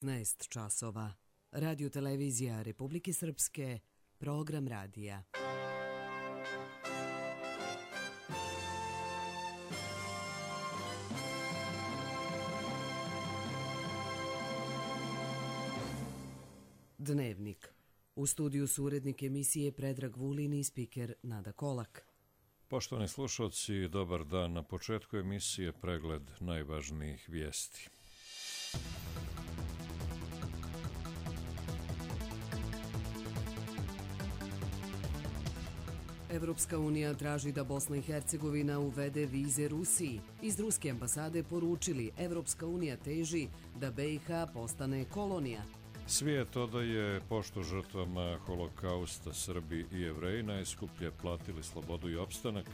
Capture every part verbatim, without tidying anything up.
petnaest časova. Radio televizija Republike Srpske, program radija. Dnevnik. U studiju su urednik emisije Predrag Vulin i spiker Nada Kolak. Poštovani slušalci, dobar dan. Na početku emisije pregled najvažnijih vijesti. Evropska unija traži da Bosna i Hercegovina uvede vize Rusiji. Iz ruske ambasade poručili Evropska unija teži da B i H postane kolonija. Svijet odaje poštu žrtvama holokausta. Srbi i Jevreji najskuplje platili slobodu i opstanak,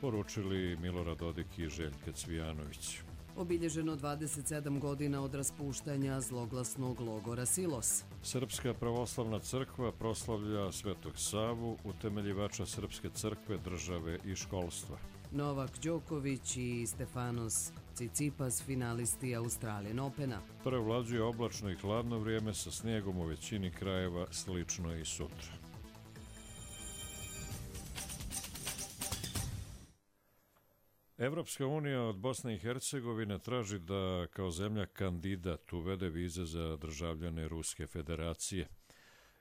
poručili Milorad Dodik i Željka Cvijanović. Obilježeno dvadeset sedam godina od raspuštanja zloglasnog logora Silos. Srpska pravoslavna crkva proslavlja Svetog Savu, utemeljivača Srpske crkve, države i školstva. Novak Đoković i Stefanos Tsitsipas, finalisti Australian Opena. Prevlađuje oblačno i hladno vrijeme sa snijegom u većini krajeva, slično i sutra. Evropska unija od Bosne i Hercegovine traži da kao zemlja kandidat uvede vize za državljane Ruske federacije.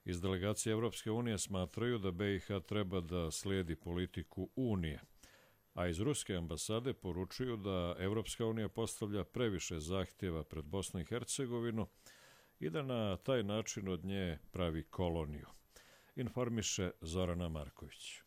Iz delegacije Evropske unije smatraju da B i H treba da slijedi politiku Unije, a iz Ruske ambasade poručuju da Evropska unija postavlja previše zahtjeva pred Bosnu i Hercegovinu i da na taj način od nje pravi koloniju, informiše Zorana Marković.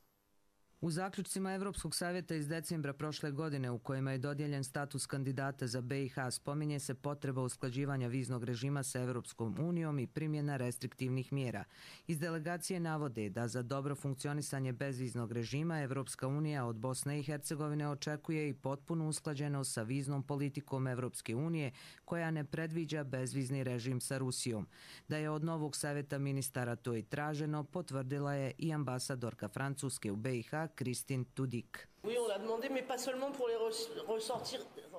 U zaključcima Evropskog savjeta iz decembra prošle godine u kojima je dodijeljen status kandidata za B i H spominje se potreba usklađivanja viznog režima sa Evropskom unijom i primjena restriktivnih mjera. Iz delegacije navode da za dobro funkcionisanje bezviznog režima Evropska unija od Bosne i Hercegovine očekuje i potpunu usklađenost sa viznom politikom Evropske unije koja ne predviđa bezvizni režim sa Rusijom. Da je od novog savjeta ministara to i traženo, potvrdila je i ambasadorka Francuske u B i H Kristin Tudik.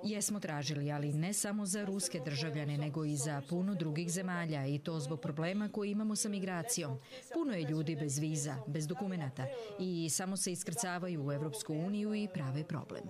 Jesmo tražili, ali ne samo za ruske državljane, nego i za puno drugih zemalja, i to zbog problema koji imamo sa migracijom. Puno je ljudi bez viza, bez dokumenata i samo se iskrcavaju u Evropsku uniju i prave problem.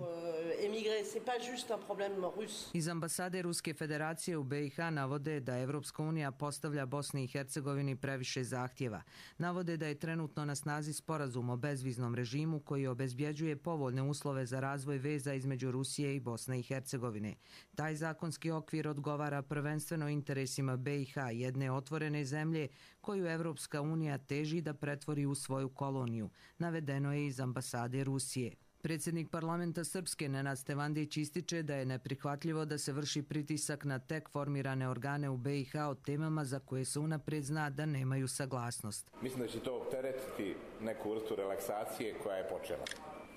Iz ambasade Ruske federacije u B i H navode da Evropska unija postavlja Bosni i Hercegovini previše zahtjeva. Navode da je trenutno na snazi sporazum o bezviznom režimu koji obezbjeđuje povoljne uslove za razvoj veza između Rusije i Bosne i Hercegovine. Taj zakonski okvir odgovara prvenstveno interesima B i H, jedne otvorene zemlje koju Evropska unija teži da pretvori u svoju koloniju, navedeno je iz ambasade Rusije. Predsjednik parlamenta Srpske Nenad Stevandić ističe da je neprihvatljivo da se vrši pritisak na tek formirane organe u B i H o temama za koje se unaprijed zna da nemaju saglasnost. Mislim da će to opteretiti neku vrstu relaksacije koja je počela.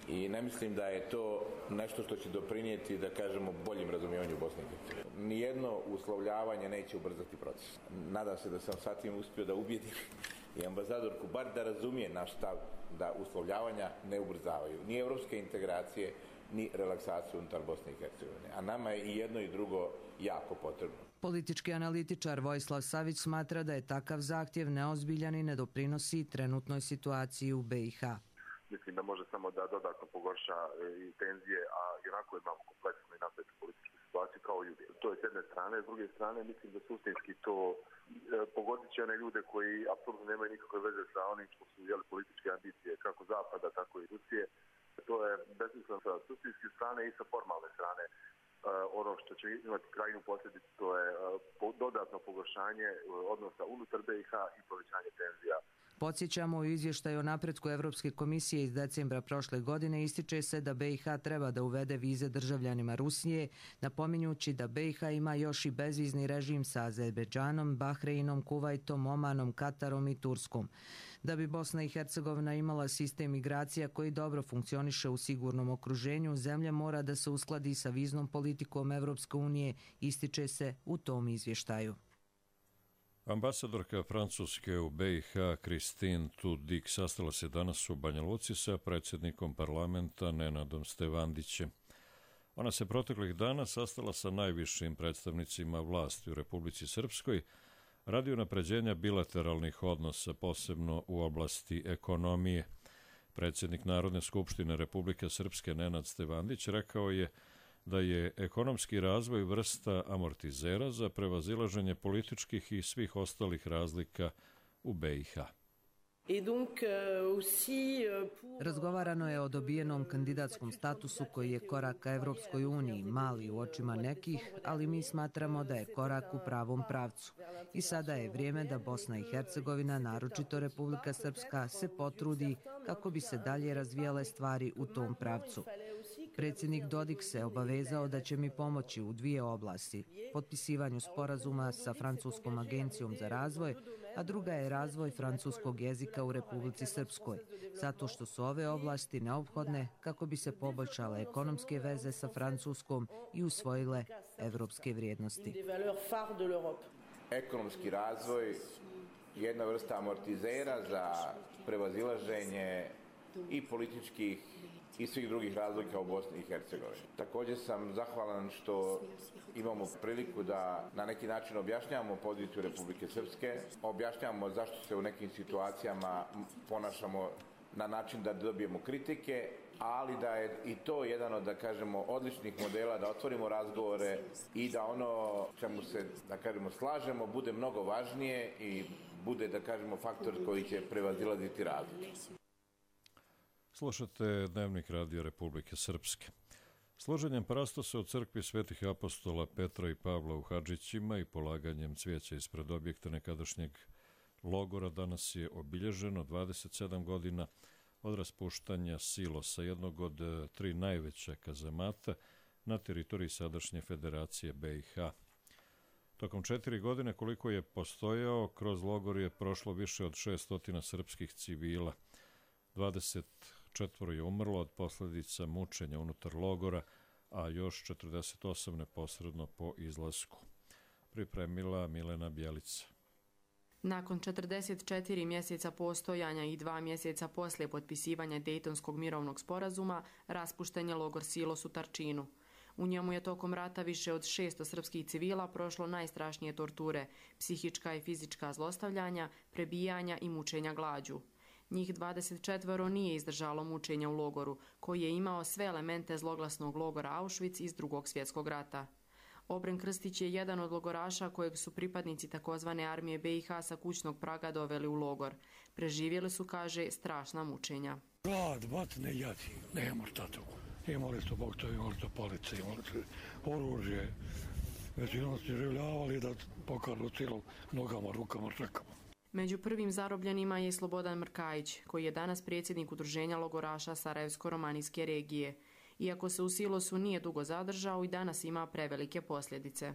I ne mislim da je to nešto što će doprinijeti, da kažemo, boljim razumijevanju Bosne i Hercegovine. Nijedno uslovljavanje neće ubrzati proces. Nadam se da sam sad tim uspio da ubijedim i ambasadorku bar da razumije naš stav da uslovljavanja ne ubrzavaju ni evropske integracije, ni relaksaciju unutar Bosne i Hercegovine. A nama je i jedno i drugo jako potrebno. Politički analitičar Vojislav Savić smatra da je takav zahtjev neozbiljan i ne doprinosi trenutnoj situaciji u B i H. Mislim da može samo da dodatno pogorša i tenzije, a jednako imamo kompleksnu i napetu političku situaciju kao i uvijek. To je s jedne strane, s druge strane mislim da suštinski to e, pogodit će one ljude koji apsolutno nemaju nikakve veze sa onim što su jeli političke ambicije, kako Zapada, tako i Rusije. To je besmisleno sa suštinske strane i sa formalne strane. E, ono što će imati krajnju posljedicu to je e, po, dodatno pogoršanje e, odnosa unutar B i H i povećanje tenzija. Podsjećamo, u izvještaju o napretku Evropske komisije iz decembra prošle godine ističe se da B i H treba da uvede vize državljanima Rusije, napominjući da B i H ima još i bezvizni režim sa Azerbejdžanom, Bahreinom, Kuvajtom, Omanom, Katarom i Turskom. Da bi Bosna i Hercegovina imala sistem migracija koji dobro funkcioniše u sigurnom okruženju, zemlja mora da se uskladi sa viznom politikom Evropske unije, ističe se u tom izvještaju. Ambasadorka Francuske u B i H Kristin Tudik sastala se danas u Banja Luci sa predsjednikom parlamenta Nenadom Stevandićem. Ona se proteklih dana sastala sa najvišim predstavnicima vlasti u Republici Srpskoj radi unapređenja bilateralnih odnosa, posebno u oblasti ekonomije. Predsjednik Narodne skupštine Republike Srpske Nenad Stevandić rekao je da je ekonomski razvoj vrsta amortizera za prevazilaženje političkih i svih ostalih razlika u B i H. Razgovarano je o dobijenom kandidatskom statusu koji je korak ka Evropskoj uniji, mali u očima nekih, ali mi smatramo da je korak u pravom pravcu. I sada je vrijeme da Bosna i Hercegovina, naročito Republika Srpska, se potrudi kako bi se dalje razvijale stvari u tom pravcu. Predsjednik Dodik se obavezao da će mi pomoći u dvije oblasti, potpisivanju sporazuma sa Francuskom agencijom za razvoj, a druga je razvoj francuskog jezika u Republici Srpskoj, zato što su ove oblasti neophodne kako bi se poboljšale ekonomske veze sa Francuskom i usvojile evropske vrijednosti. Ekonomski razvoj je jedna vrsta amortizera za prevazilaženje i političkih i svih drugih razlika u Bosni i Hercegovini. Također sam zahvalan što imamo priliku da na neki način objašnjavamo poziciju Republike Srpske, objašnjavamo zašto se u nekim situacijama ponašamo na način da dobijemo kritike, ali da je i to jedan od, da kažemo, odličnih modela da otvorimo razgovore i da ono čemu se, da kažemo, slažemo bude mnogo važnije i bude, da kažemo, faktor koji će prevazilaziti razlike. Slušate Dnevnik Radio Republike Srpske. Složenjem parastose u crkvi svetih apostola Petra i Pavla u Hadžićima i polaganjem cvijeća ispred objekta nekadašnjeg logora danas je obilježeno dvadeset sedam godina od raspuštanja silosa, jednog od tri najveća kazamata na teritoriji sadašnje Federacije B i H. Tokom četiri godine koliko je postojao, kroz logor je prošlo više od šeststotina srpskih civila. dvadeset četvoro je umrlo od posljedica mučenja unutar logora, a još četrdeset osam neposredno po izlasku. Pripremila Milena Bjelica. Nakon četrdeset četiri mjeseca postojanja i dva mjeseca poslije potpisivanja Dejtonskog mirovnog sporazuma, raspušten je logor Silos u Tarčinu. U njemu je tokom rata više od šesto srpskih civila prošlo najstrašnije torture, psihička i fizička zlostavljanja, prebijanja i mučenja glađu. Njih dvadeset četvoro nije izdržalo mučenja u logoru, koji je imao sve elemente zloglasnog logora Auschwitz iz Drugog svjetskog rata. Obren Krstić je jedan od logoraša kojeg su pripadnici takozvane armije B i H sa kućnog praga doveli u logor. Preživjeli su, kaže, strašna mučenja. Glad, batne, jadi, nema šta to. Imali su bog to, imali su palice, imali su oružje. Većinom su življavali da pokažu cijelom nogama, rukama, čekama. Među prvim zarobljenima je Slobodan Mrkajić, koji je danas predsjednik Udruženja logoraša Sarajevsko-romanijske regije. Iako se u Silosu nije dugo zadržao, i danas ima prevelike posljedice.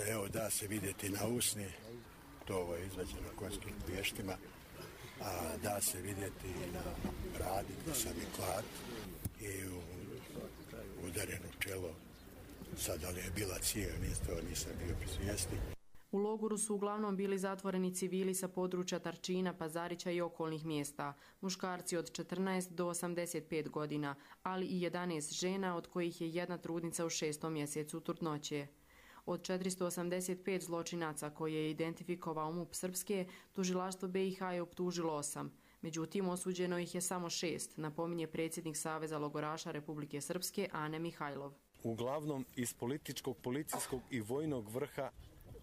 Evo da se vidjeti na usni, to ovo je izvađeno konjskim pještima, a da se vidjeti na bradi gdje sam i klad i u udarenu čelo. Sad ali je bila cijel, nisam bio pri svijesti. U logoru su uglavnom bili zatvoreni civili sa područja Tarčina, Pazarića i okolnih mjesta, muškarci od četrnaest do osamdeset pet godina, ali i jedanaest žena, od kojih je jedna trudnica u šestom mjesecu trudnoće. Od četiristo osamdeset pet zločinaca koje je identifikovao MUP Srpske, tužilaštvo B i H je optužilo osam. Međutim, osuđeno ih je samo šest, napominje predsjednik Saveza logoraša Republike Srpske Ane Mihajlov. Uglavnom iz političkog, policijskog i vojnog vrha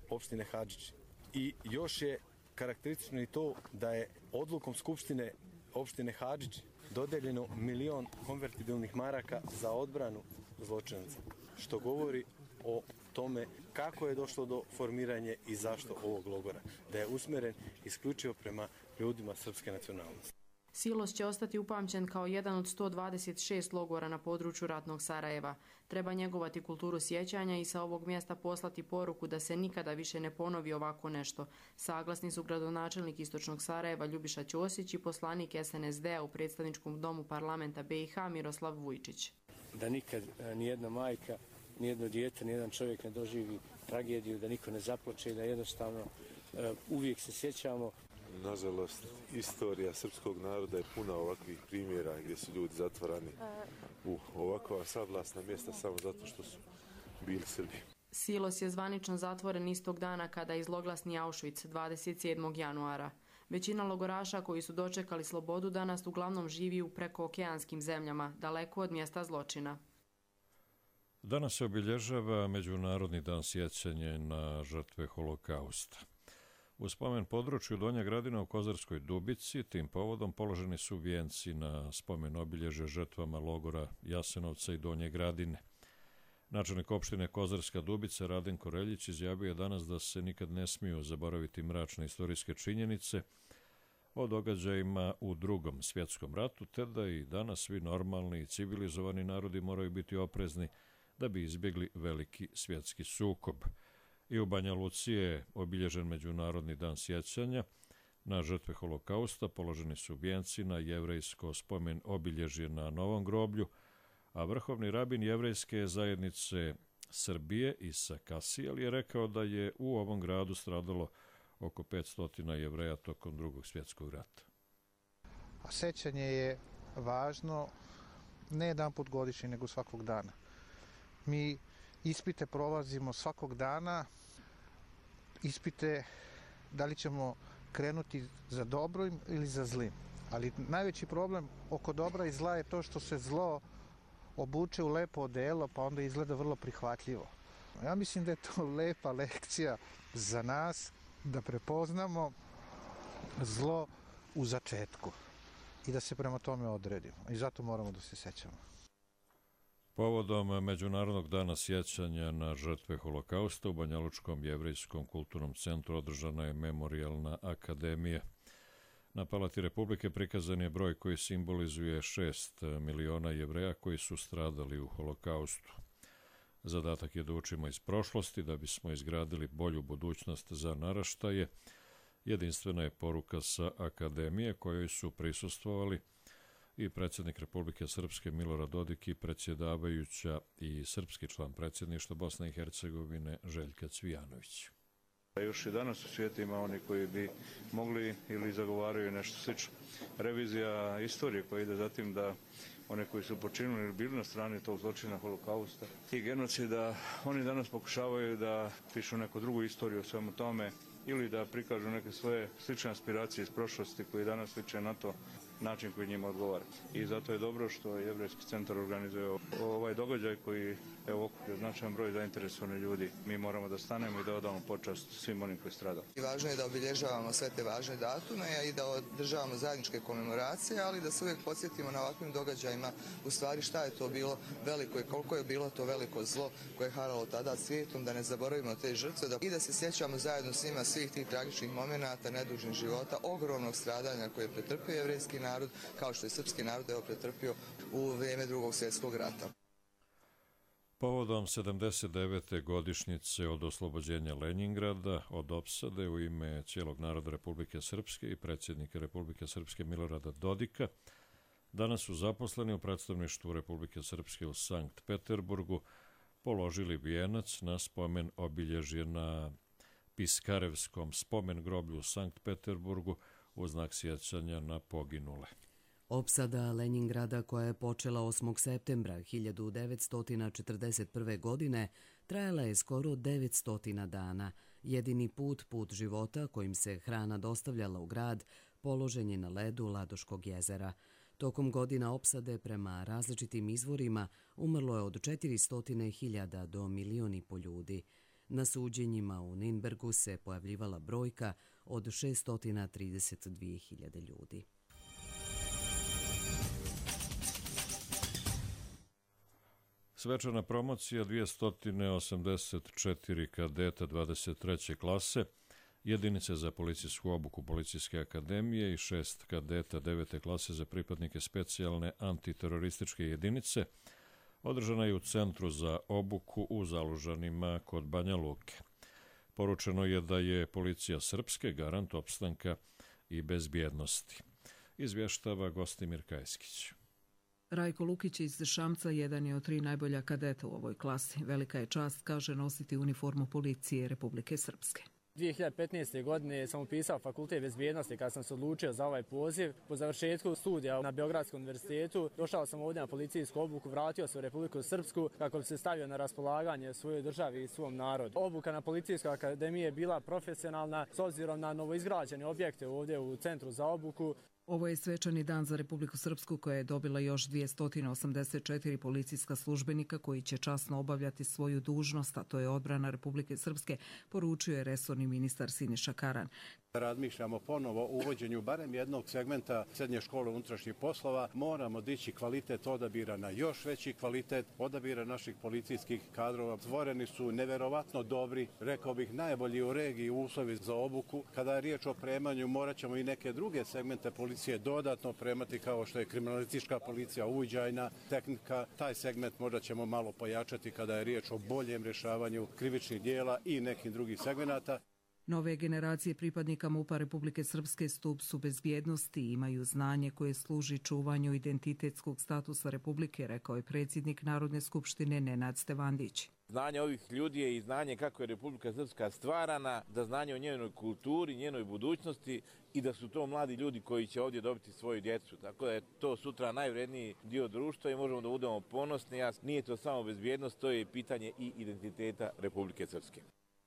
opštine Hadžić. I još je karakteristično i to da je odlukom Skupštine opštine Hadžić dodeljeno milion konvertibilnih maraka za odbranu zločinaca, što govori o tome kako je došlo do formiranja i zašto ovog logora, da je usmjeren isključivo prema ljudima srpske nacionalnosti. Silos će ostati upamćen kao jedan od sto dvadeset šest logora na području ratnog Sarajeva. Treba njegovati kulturu sjećanja i sa ovog mjesta poslati poruku da se nikada više ne ponovi ovako nešto. Saglasni su gradonačelnik Istočnog Sarajeva Ljubiša Ćosić i poslanik S N S D-a u predstavničkom domu parlamenta B i H Miroslav Vujčić. Da nikad nijedna majka, nijedno dijete, nijedan čovjek ne doživi tragediju, da niko ne zaplače, da jednostavno uvijek se sjećamo Nažalost, istorija srpskog naroda je puna ovakvih primjera gdje su ljudi zatvarani u ovakva sablasna mjesta samo zato što su bili Srbi. Silos je zvanično zatvoren istog dana kada je zloglasni Auschwitz dvadeset sedmog januara. Većina logoraša koji su dočekali slobodu danas uglavnom živi u prekookeanskim zemljama, daleko od mjesta zločina. Danas se obilježava Međunarodni dan sjećanja na žrtve holokausta. U spomen području Donja Gradina u Kozarskoj Dubici tim povodom položeni su vijenci na spomen obilježja žrtvama logora Jasenovca i Donje Gradine. Načelnik opštine Kozarska Dubica Radenko Reljić izjavio je danas da se nikad ne smiju zaboraviti mračne istorijske činjenice o događajima u Drugom svjetskom ratu, te da i danas svi normalni i civilizovani narodi moraju biti oprezni da bi izbjegli veliki svjetski sukob. I u Banja Luci je obilježen Međunarodni dan sjećanja na žrtve holokausta, položeni su vijenci na jevrejsko spomen obilježje na Novom groblju, a vrhovni rabin jevrejske zajednice Srbije Isa Kasijel je rekao da je u ovom gradu stradalo oko petsto Jevreja tokom Drugog svjetskog rata. A sećanje je važno ne jedan put godišnje, nego svakog dana. Mi ispite prolazimo svakog dana, ispite da li ćemo krenuti za dobrim ili za zlim. Ali najveći problem oko dobra i zla je to što se zlo obuče u lepo odelo, pa onda izgleda vrlo prihvatljivo. Ja mislim da je to lepa lekcija za nas da prepoznamo zlo u začetku i da se prema tome odredimo. I zato moramo da se sećamo. Povodom Međunarodnog dana sjećanja na žrtve holokausta u Banjalučkom jevrejskom kulturnom centru održana je memorijalna akademija. Na Palati Republike prikazan je broj koji simbolizuje šest miliona Jevreja koji su stradali u holokaustu. Zadatak je da učimo iz prošlosti da bismo izgradili bolju budućnost za naraštaje. Jedinstvena je poruka sa akademije kojoj su prisustvovali i predsjednik Republike Srpske Milorad Dodik i predsjedavajuća i srpski član predsjedništva Bosne i Hercegovine Željka Cvijanović. Još i danas u svijetu ima oni koji bi mogli ili zagovaraju nešto slično. Revizija istorije koja ide za tim da one koji su počinili ili bili na strani tog zločina holokausta i genocida, oni danas pokušavaju da pišu neku drugu istoriju o svemu tome ili da prikažu neke svoje slične aspiracije iz prošlosti koji danas liče na to način koji njima odgovara. I zato je dobro što Jevrejski centar organizuje ovaj događaj koji je okupio značajan broj zainteresovanih ljudi. Mi moramo da stanemo i da odamo počast svim onim koji stradaju. Važno je da obilježavamo sve te važne datume i da održavamo zajedničke komemoracije, ali da se uvijek podsjetimo na ovakvim događajima u stvari šta je to bilo veliko i koliko je bilo to veliko zlo koje je haralo tada svijetom, da ne zaboravimo te žrtve i da se sjećamo zajedno s njima svih tih tragičnih momenata, nedužnih života, ogromnog stradanja koje je pretrpio jevrejski narod, kao što je srpski narod evo pretrpio u vrijeme Drugog svjetskog rata. Povodom sedamdeset devete godišnjice od oslobođenja Lenjingrada od opsade u ime cijelog naroda Republike Srpske i predsjednika Republike Srpske Milorada Dodika, danas su zaposleni u predstavništvu Republike Srpske u Sankt Peterburgu položili vijenac na spomen obilježje na Piskarevskom spomen groblju u Sankt Peterburgu u znak sjećanja na poginule. Opsada Lenjingrada koja je počela osmog septembra hiljadu devetsto četrdeset prve. godine trajala je skoro devetsto dana. Jedini put, put života kojim se hrana dostavljala u grad, položen je na ledu Ladoškog jezera. Tokom godina opsade prema različitim izvorima umrlo je od četiristo hiljada do milion i po ljudi. Na suđenjima u Ninbergu se pojavljivala brojka od šeststo trideset dvije hiljade ljudi. Svečana promocija dvjesto osamdeset četiri kadeta dvadeset treće klase, jedinice za policijsku obuku Policijske akademije i šest kadeta devete klase za pripadnike specijalne antiterorističke jedinice, održana je u Centru za obuku u Zalužanima kod Banja Luke. Poručeno je da je policija Srpske garant opstanka i bezbjednosti. Izvještava Gostimir Kajskić. Rajko Lukić iz Šamca jedan je od tri najbolja kadeta u ovoj klasi. Velika je čast, kaže, nositi uniformu policije Republike Srpske. dvije hiljade petnaeste. godine sam upisao fakultet bezbjednosti kad sam se odlučio za ovaj poziv. Po završetku studija na Beogradskom univerzitetu došao sam ovdje na policijsku obuku, vratio se u Republiku Srpsku kako bi se stavio na raspolaganje svojoj državi i svom narodu. Obuka na Policijskoj akademiji je bila profesionalna s obzirom na novoizgrađene objekte ovdje u centru za obuku. Ovo je svečani dan za Republiku Srpsku koja je dobila još dvjesto osamdeset četiri policijska službenika koji će časno obavljati svoju dužnost, a to je odbrana Republike Srpske, poručio je resorni ministar Siniša Karan. Razmišljamo ponovo o uvođenju barem jednog segmenta srednje škole unutrašnjih poslova. Moramo dići kvalitet odabira na još veći kvalitet odabira naših policijskih kadrova. Stvoreni su neverovatno dobri, rekao bih najbolji u regiji uslovi za obuku. Kada je riječ o opremanju, morat ćemo i neke druge segmente policije dodatno opremati kao što je kriminalistička policija, uviđajna tehnika. Taj segment možda ćemo malo pojačati kada je riječ o boljem rješavanju krivičnih dijela i nekih drugih segmenata. Nove generacije pripadnika MUP-a Republike Srpske stup su bezbjednosti i imaju znanje koje služi čuvanju identitetskog statusa Republike, rekao je predsjednik Narodne skupštine Nenad Stevandić. Znanje ovih ljudi je i znanje kako je Republika Srpska stvarana, da znanje o njenoj kulturi, njenoj budućnosti i da su to mladi ljudi koji će ovdje dobiti svoju djecu. Tako da je to sutra najvredniji dio društva i možemo da budemo ponosni. Nije to samo bezbjednost, to je pitanje i identiteta Republike Srpske.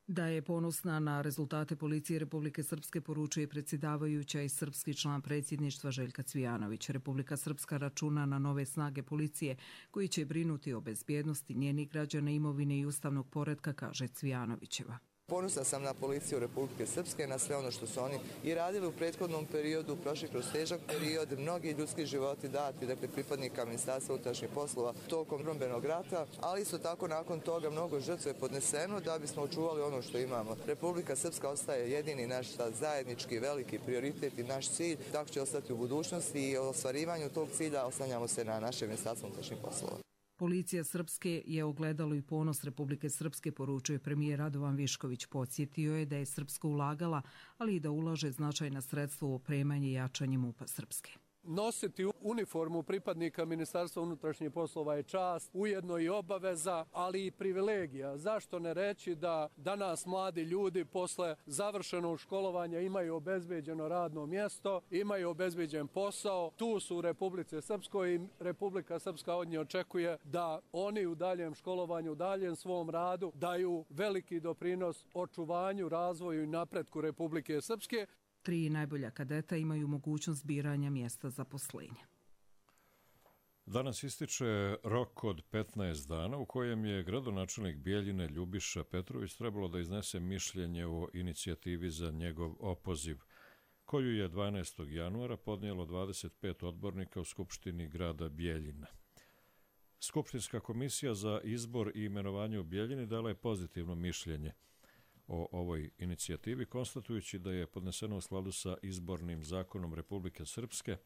Da je ponosna na rezultate policije Republike Srpske poručuje predsjedavajuća i srpski član predsjedništva Željka Cvijanović. Republika Srpska računa na nove snage policije koji će brinuti o bezbjednosti njenih građana, imovine i ustavnog poretka, kaže Cvijanovićeva. Ponosna sam na policiju Republike Srpske, na sve ono što su oni i radili u prethodnom periodu, prošli kroz težak period, mnogi ljudski životi dati, dakle pripadnika Ministarstva unutrašnjih poslova tokom odbrambenog rata, ali isto tako nakon toga mnogo žrtve je podneseno da bismo očuvali ono što imamo. Republika Srpska ostaje jedini naš zajednički veliki prioritet i naš cilj, tako će ostati u budućnosti i o ostvarivanju tog cilja oslanjamo se na naše Ministarstvo unutrašnjih poslova. Policija Srpske je ogledalo i ponos Republike Srpske, poručuje premijer Radovan Višković. Podsjetio je da je Srpska ulagala, ali i da ulaže značajna sredstva u opremanje i jačanje MUP-a Srpske. Nositi uniformu pripadnika Ministarstva unutrašnjih poslova je čast, ujedno i obaveza, ali i privilegija. Zašto ne reći da danas mladi ljudi posle završenog školovanja imaju obezbeđeno radno mjesto, imaju obezbeđen posao, tu su u Republici Srpskoj i Republika Srpska od nje očekuje da oni u daljem školovanju, u daljem svom radu daju veliki doprinos očuvanju, razvoju i napretku Republike Srpske. Tri najbolja kadeta imaju mogućnost biranja mjesta zaposlenja. Danas ističe rok od petnaest dana u kojem je gradonačelnik Bijeljine Ljubiša Petrović trebalo da iznese mišljenje o inicijativi za njegov opoziv, koju je dvanaestog januara podnijelo dvadeset pet odbornika u Skupštini grada Bijeljina. Skupštinska komisija za izbor i imenovanje u Bijeljini dala je pozitivno mišljenje o ovoj inicijativi, konstatujući da je podneseno u skladu sa izbornim zakonom Republike Srpske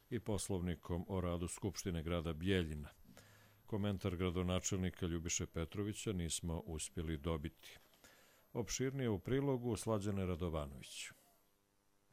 i poslovnikom o radu Skupštine grada Bijeljina. Komentar gradonačelnika Ljubiše Petrovića nismo uspjeli dobiti. Opširnije u prilogu Slađane Radovanović.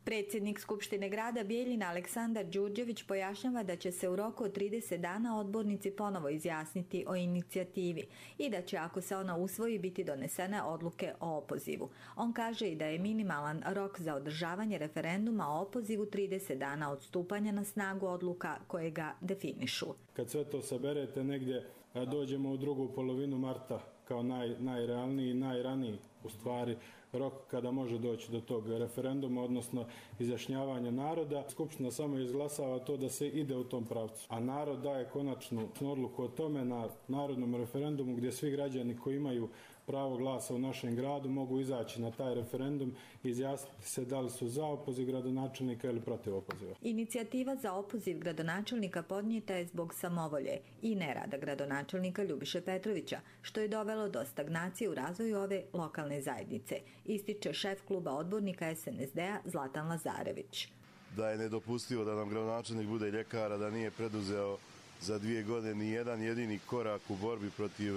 Predsjednik Skupštine grada Bijeljina Aleksandar Đurđević pojašnjava da će se u roku od trideset dana odbornici ponovo izjasniti o inicijativi i da će, ako se ona usvoji, biti donesene odluke o opozivu. On kaže i da je minimalan rok za održavanje referenduma o opozivu trideset dana od stupanja na snagu odluka koje ga definišu. Kad sve to saberete, negdje dođemo u drugu polovinu marta kao naj, najrealniji i najraniji u stvari rok kada može doći do tog referenduma, odnosno izjašnjavanja naroda. Skupština samo izglasava to da se ide u tom pravcu. A narod daje konačnu odluku o tome na narodnom referendumu gdje svi građani koji imaju pravo glasa u našem gradu mogu izaći na taj referendum i izjasniti se da li su za opoziv gradonačelnika ili protiv opoziva. Inicijativa za opoziv gradonačelnika podnijeta je zbog samovolje i nerada gradonačelnika Ljubiše Petrovića, što je dovelo do stagnacije u razvoju ove lokalne zajednice, ističe šef kluba odbornika S N S D-a Zlatan Lazarević. Da je nedopustivo da nam gradonačelnik bude ljekar, a da nije preduzeo za dvije godine ni jedan jedini korak u borbi protiv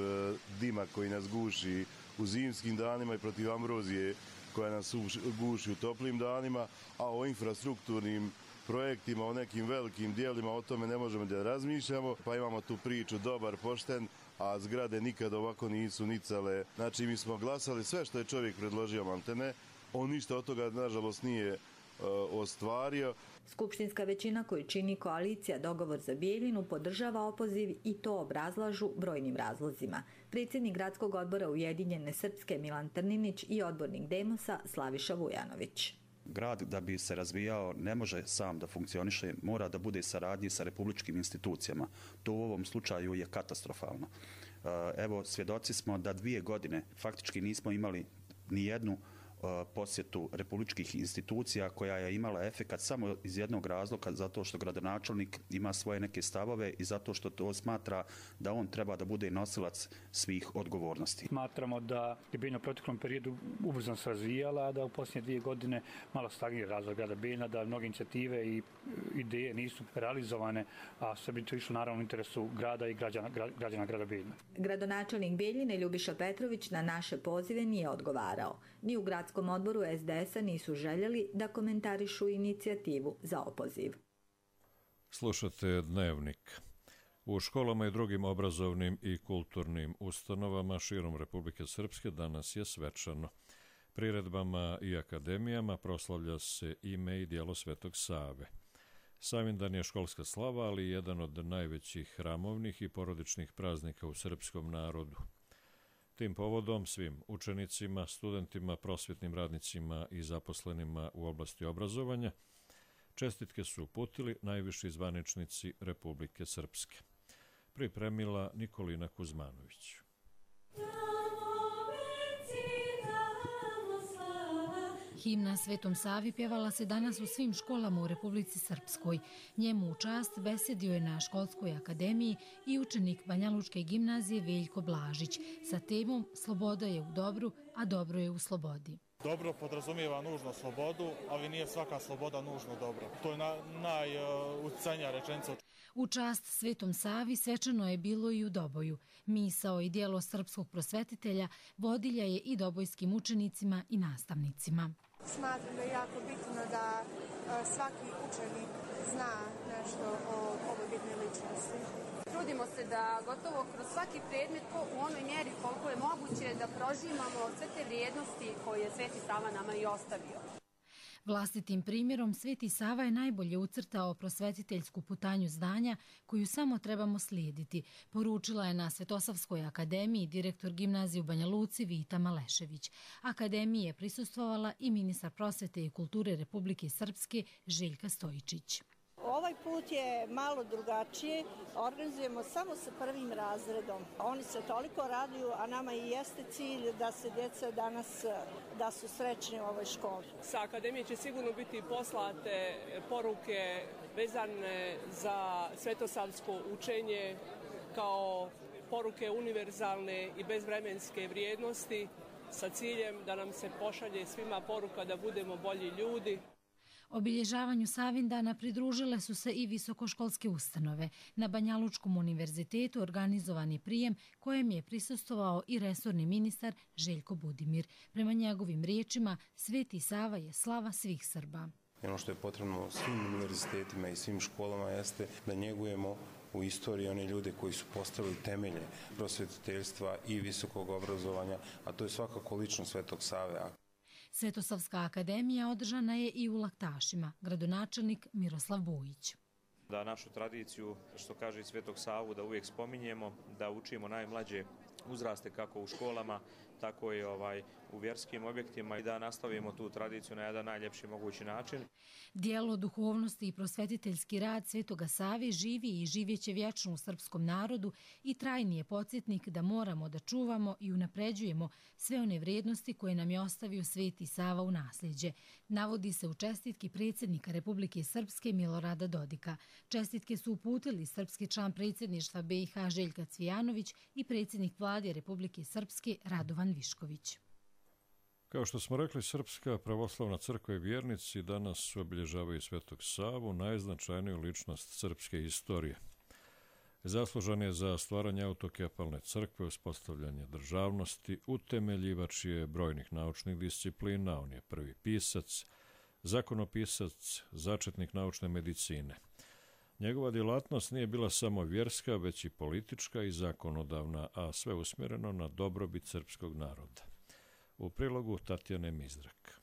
dima koji nas guši u zimskim danima i protiv ambrozije koja nas guši u toplim danima, a o infrastrukturnim projektima, o nekim velikim dijelima, o tome ne možemo da razmišljamo, pa imamo tu priču dobar, pošten, a zgrade nikad ovako nisu nicale. Znači mi smo glasali sve što je čovjek predložio maltene, on ništa od toga nažalost nije uh, ostvario. Skupštinska većina koju čini koalicija Dogovor za Bijeljinu podržava opoziv i to obrazlažu brojnim razlozima. Predsjednik gradskog odbora Ujedinjene Srpske Milan Trninić i odbornik Demosa Slaviša Vujanović. Grad da bi se razvijao ne može sam da funkcioniše, mora da bude saradnji sa republičkim institucijama. To u ovom slučaju je katastrofalno. Evo, svjedoci smo da dvije godine faktički nismo imali ni jednu posjetu republičkih institucija koja je imala efekat samo iz jednog razloga, zato što gradonačelnik ima svoje neke stavove i zato što to smatra da on treba da bude nosilac svih odgovornosti. Smatramo da je Bijeljina u proteklom periodu ubrzano se razvijala, a da u posljednje dvije godine malo stagnira razvoj grada Bijeljina, da mnoge inicijative i ideje nisu realizovane, a sve bi to išlo naravno u interesu grada i građana, građana grada Bijeljina. Gradonačelnik Bijeljine Ljubiša Petrović na naše pozive nije odgovarao. Ni u gradskom odboru es de es a nisu željeli da komentarišu inicijativu za opoziv. Slušate Dnevnik. U školama i drugim obrazovnim i kulturnim ustanovama širom Republike Srpske danas je svečano. Priredbama i akademijama proslavlja se ime i djelo Svetog Save. Savindan je školska slava, ali jedan od najvećih hramovnih i porodičnih praznika u srpskom narodu. Tim povodom svim učenicima, studentima, prosvjetnim radnicima i zaposlenima u oblasti obrazovanja čestitke su uputili najviši zvaničnici Republike Srpske. Pripremila Nikolina Kuzmanović. Himna Svetom Savi pjevala se danas u svim školama u Republici Srpskoj. Njemu u čast besedio je na školskoj akademiji i učenik Banjalučke gimnazije Veljko Blažić sa temom Sloboda je u dobru, a dobro je u slobodi. Dobro podrazumijeva nužno slobodu, ali nije svaka sloboda nužno dobro. To je na, najucajnija rečenica. U čast Svetom Savi svečano je bilo i u Doboju. Misao i djelo srpskog prosvetitelja vodilja je i dobojskim učenicima i nastavnicima. Smatram da je jako bitno da svaki učenik zna nešto o ovoj bitnoj ličnosti. Trudimo se da gotovo kroz svaki predmet u onoj mjeri koliko je moguće da prožimamo sve te vrijednosti koje je Sveti Sava nama i ostavio. Vlastitim primjerom Sveti Sava je najbolje ucrtao prosvetiteljsku putanju znanja koju samo trebamo slijediti, poručila je na Svetosavskoj akademiji direktor gimnazije u Banja Luci Vita Malešević. Akademiji je prisustvovala i ministar prosvete i kulture Republike Srpske Željka Stojičić. Ovaj put je malo drugačije, organizujemo samo sa prvim razredom. Oni se toliko raduju, a nama i jeste cilj da se djeca danas, da su srećni u ovoj školi. Sa akademije će sigurno biti poslate poruke vezane za svetosavsko učenje kao poruke univerzalne i bezvremenske vrijednosti sa ciljem da nam se pošalje svima poruka da budemo bolji ljudi. Obilježavanju Savindana pridružile su se i visokoškolske ustanove. Na Banjalučkom univerzitetu organizovan je prijem kojem je prisustvovao i resorni ministar Željko Budimir. Prema njegovim riječima, Sveti Sava je slava svih Srba. Ono što je potrebno svim univerzitetima i svim školama jeste da njegujemo u istoriji one ljude koji su postavili temelje prosvetiteljstva i visokog obrazovanja, a to je svakako ličnost Svetog Save. Svetosavska akademija održana je i u Laktašima, gradonačelnik Miroslav Bujić. Da našu tradiciju, što kaže i Svetog Savu, da uvijek spominjemo, da učimo najmlađe uzraste kako u školama, tako i ovaj, u vjerskim objektima i da nastavimo tu tradiciju na jedan najljepši mogući način. Dijelo duhovnosti i prosvetiteljski rad Svetoga Save živi i živjeće vječno u srpskom narodu i trajni je podsjetnik da moramo da čuvamo i unapređujemo sve one vrijednosti koje nam je ostavio Sveti Sava u nasljeđe. Navodi se u čestitki predsjednika Republike Srpske Milorada Dodika. Čestitke su uputili srpski član predsjedništva be i ha Željka Cvijanović i predsjednik vlade Republike Srpske Radovan Višković. Kao što smo rekli, Srpska pravoslavna crkva i vjernici danas obilježavaju Svetog Savu, najznačajniju ličnost srpske istorije. Zaslužan je za stvaranje autokefalne crkve, uspostavljanje državnosti, utemeljivač je brojnih naučnih disciplina, on je prvi pisac, zakonopisac, začetnik naučne medicine. Njegova djelatnost nije bila samo vjerska, već i politička i zakonodavna, a sve usmjereno na dobrobit srpskog naroda. U prilogu Tatjane Mizrak.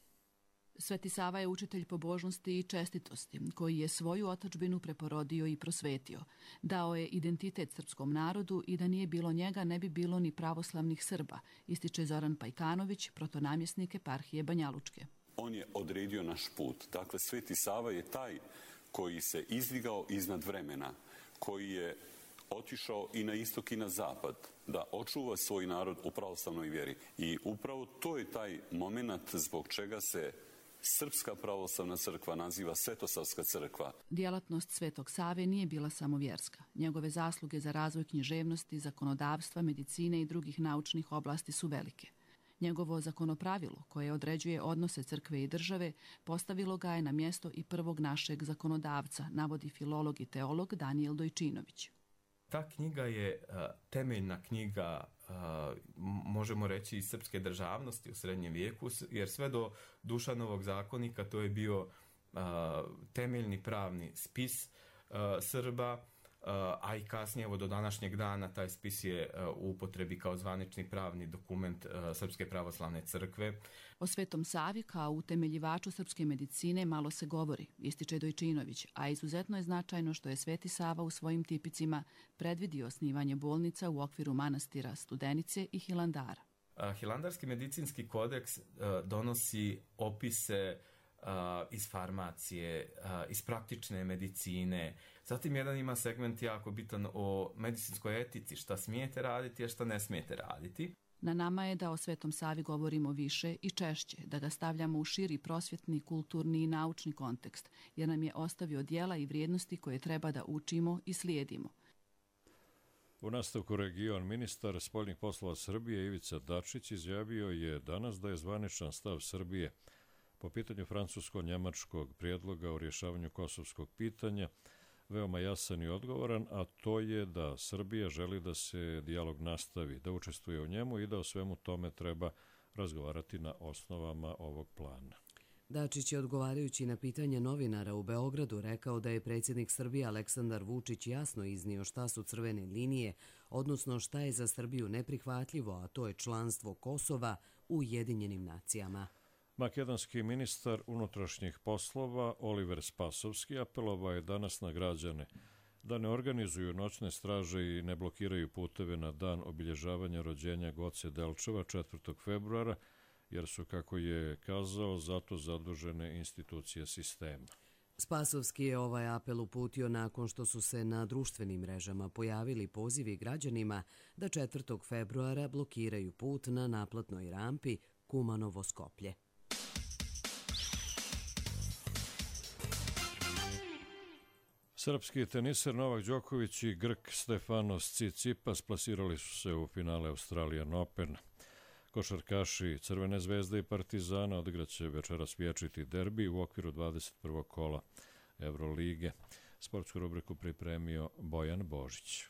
Sveti Sava je učitelj pobožnosti i čestitosti, koji je svoju otadžbinu preporodio i prosvetio. Dao je identitet srpskom narodu i da nije bilo njega ne bi bilo ni pravoslavnih Srba, ističe Zoran Pajkanović, protonamjesnik eparhije Banjalučke. On je odredio naš put. Dakle, Sveti Sava je taj koji se izdigao iznad vremena, koji je otišao i na istok i na zapad, da očuva svoj narod u pravoslavnoj vjeri. I upravo to je taj moment zbog čega se Srpska pravoslavna crkva naziva Svetosavska crkva. Djelatnost Svetog Save nije bila samo vjerska. Njegove zasluge za razvoj književnosti, zakonodavstva, medicine i drugih naučnih oblasti su velike. Njegovo zakonopravilo, koje određuje odnose crkve i države, postavilo ga je na mjesto i prvog našeg zakonodavca, navodi filolog i teolog Danijel Dojčinović. Ta knjiga je uh, temeljna knjiga, uh, možemo reći, iz srpske državnosti u srednjem vijeku, jer sve do Dušanovog zakonika to je bio uh, temeljni pravni spis uh, Srba, a i kasnije, evo do današnjeg dana, taj spis je u upotrebi kao zvanični pravni dokument Srpske pravoslavne crkve. O Svetom Savi kao utemeljivaču srpske medicine malo se govori, ističe Dojčinović, a izuzetno je značajno što je Sveti Sava u svojim tipicima predvidio osnivanje bolnica u okviru manastira Studenice i Hilandara. Hilandarski medicinski kodeks donosi opise iz farmacije, iz praktične medicine. Zatim jedan ima segment jako bitan o medicinskoj etici, šta smijete raditi, a šta ne smijete raditi. Na nama je da o Svetom Savi govorimo više i češće, da ga stavljamo u širi prosvjetni, kulturni i naučni kontekst, jer nam je ostavio djela i vrijednosti koje treba da učimo i slijedimo. U nastavku region ministar spoljnih poslova Srbije Ivica Dačić izjavio je danas da je zvaničan stav Srbije po pitanju francusko-njemačkog prijedloga o rješavanju kosovskog pitanja veoma jasan i odgovoran, a to je da Srbija želi da se dijalog nastavi, da učestvuje u njemu i da o svemu tome treba razgovarati na osnovama ovog plana. Dačić je, odgovarajući na pitanje novinara u Beogradu, rekao da je predsjednik Srbije Aleksandar Vučić jasno iznio šta su crvene linije, odnosno šta je za Srbiju neprihvatljivo, a to je članstvo Kosova u Ujedinjenim nacijama. Makedonski ministar unutrašnjih poslova Oliver Spasovski apelovao je danas na građane da ne organizuju noćne straže i ne blokiraju puteve na dan obilježavanja rođenja Goce Delčeva četvrtog februara, jer su, kako je kazao, zato zadužene institucije sistema. Spasovski je ovaj apel uputio nakon što su se na društvenim mrežama pojavili pozivi građanima da četvrtog februara blokiraju put na naplatnoj rampi Kumanovo-Skoplje. Srpski teniser Novak Đoković i Grk Stefanos Tsitsipas plasirali su se u finale Australian Open. Košarkaši Crvene zvezde i Partizana odigraće večeras vječiti derbi u okviru dvadeset prvog kola Evrolige. Sportsku rubriku pripremio Bojan Božić.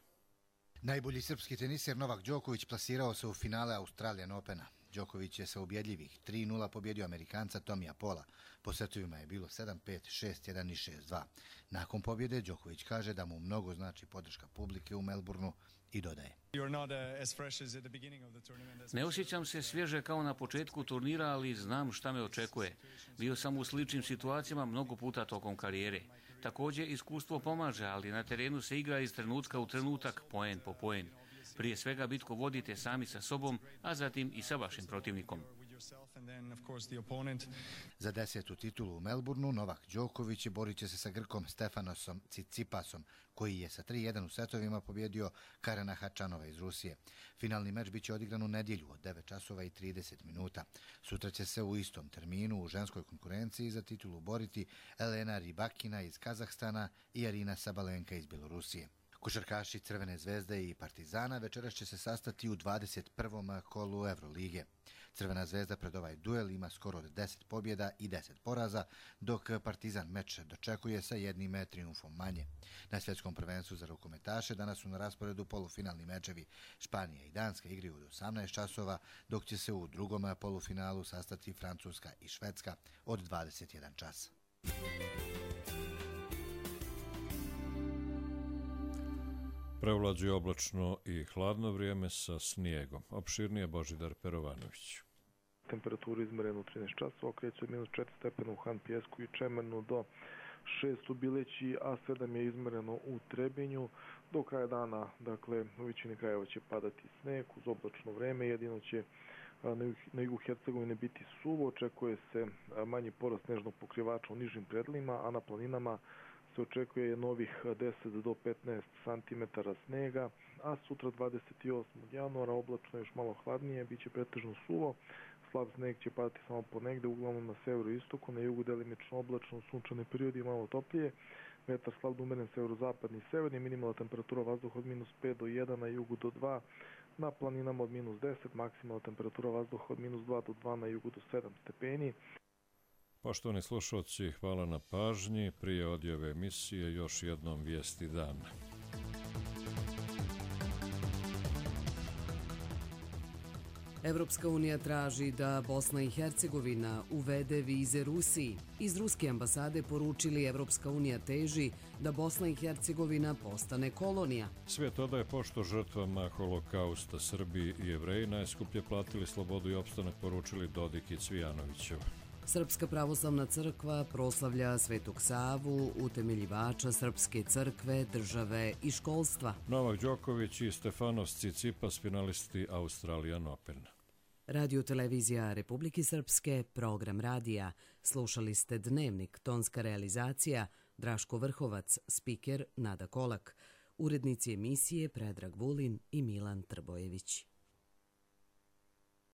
Najbolji srpski teniser Novak Đoković plasirao se u finale Australian Opena. Đoković je sa ubjedljivih tri nula pobjedio Amerikanca Tomija Pola. Po setovima je bilo sedam pet, šest jedan i šest dva. Nakon pobjede Đoković kaže da mu mnogo znači podrška publike u Melbourneu i dodaje: Ne osjećam se svježe kao na početku turnira, ali znam šta me očekuje. Bio sam u sličnim situacijama mnogo puta tokom karijere. Također iskustvo pomaže, ali na terenu se igra iz trenutka u trenutak, poen po poen. Prije svega bitku vodite sami sa sobom, a zatim i sa vašim protivnikom. Za desetu titulu u Melbourneu Novak Đoković borit će se sa Grkom Stefanosom Tsitsipasom, koji je sa tri jedan u setovima pobjedio Karena Hačanova iz Rusije. Finalni meč biće odigran u nedjelju od devet časova i trideset minuta. Sutra će se u istom terminu u ženskoj konkurenciji za titulu boriti Elena Rybakina iz Kazahstana i Arina Sabalenka iz Bjelorusije. Košarkaši Crvene zvezde i Partizana večeras će se sastati u dvadeset prvom kolu Evrolige. Crvena zvezda pred ovaj duel ima skoro od deset pobjeda i deset poraza, dok Partizan meč dočekuje sa jednim trijumfom manje. Na svjetskom prvenstvu za rukometaše danas su na rasporedu polufinalni mečevi. Španija i Danska igraju od osamnaest časova, dok će se u drugom polufinalu sastati Francuska i Švedska od dvadeset jedan čas. Prevlađuje oblačno i hladno vrijeme sa snijegom. Opširnije Božidar Perovanović. Temperaturu izmerenu u trinaest časova, kreće od minus četiri stepena u Han Pijesku i Čemernu do šest u Bileći, a sedam je izmereno u Trebinju. Do kraja dana, dakle, u većini krajeva će padati sneg uz oblačno vreme, jedino će na jugu Hercegovine biti suvo, očekuje se manji porast snežnog pokrivača u nižim predjelima, a na planinama se očekuje novih deset do petnaest santimetara snega, a sutra dvadeset osmog januara oblačno još malo hladnije, bit će pretežno suvo, slab sneg će padati samo ponegde, uglavnom na severu i istoku, na jugu delimično oblačno, sunčane periodi malo toplije, vetar slab da umeren severozapadni i severni, minimalna temperatura vazduha od minus pet do jedan, na jugu do dva, na planinama od minus deset, maksimalna temperatura vazduha od minus dva do dva, na jugu do sedam stepeni. Poštovani slušalci, hvala na pažnji. Prije odjave emisije još jednom vijesti dana. Evropska unija traži da Bosna i Hercegovina uvede vize Rusiji. Iz ruske ambasade poručili Evropska unija teži da Bosna i Hercegovina postane kolonija. Svijet odaje pošto žrtvama holokausta. Srbi i Jevreji najskuplje platili slobodu i opstanak, poručili Dodik i Cvijanovićev. Srpska pravoslavna crkva proslavlja Svetog Savu, utemeljivača Srpske crkve, države i školstva. Novak Đoković i Stefanos Tsitsipas, finalisti Australian Open. Radio televizija Republike Srpske, program radija. Slušali ste Dnevnik, tonska realizacija, Draško Vrhovac, spiker Nada Kolak. Urednici emisije Predrag Vulin i Milan Trbojević.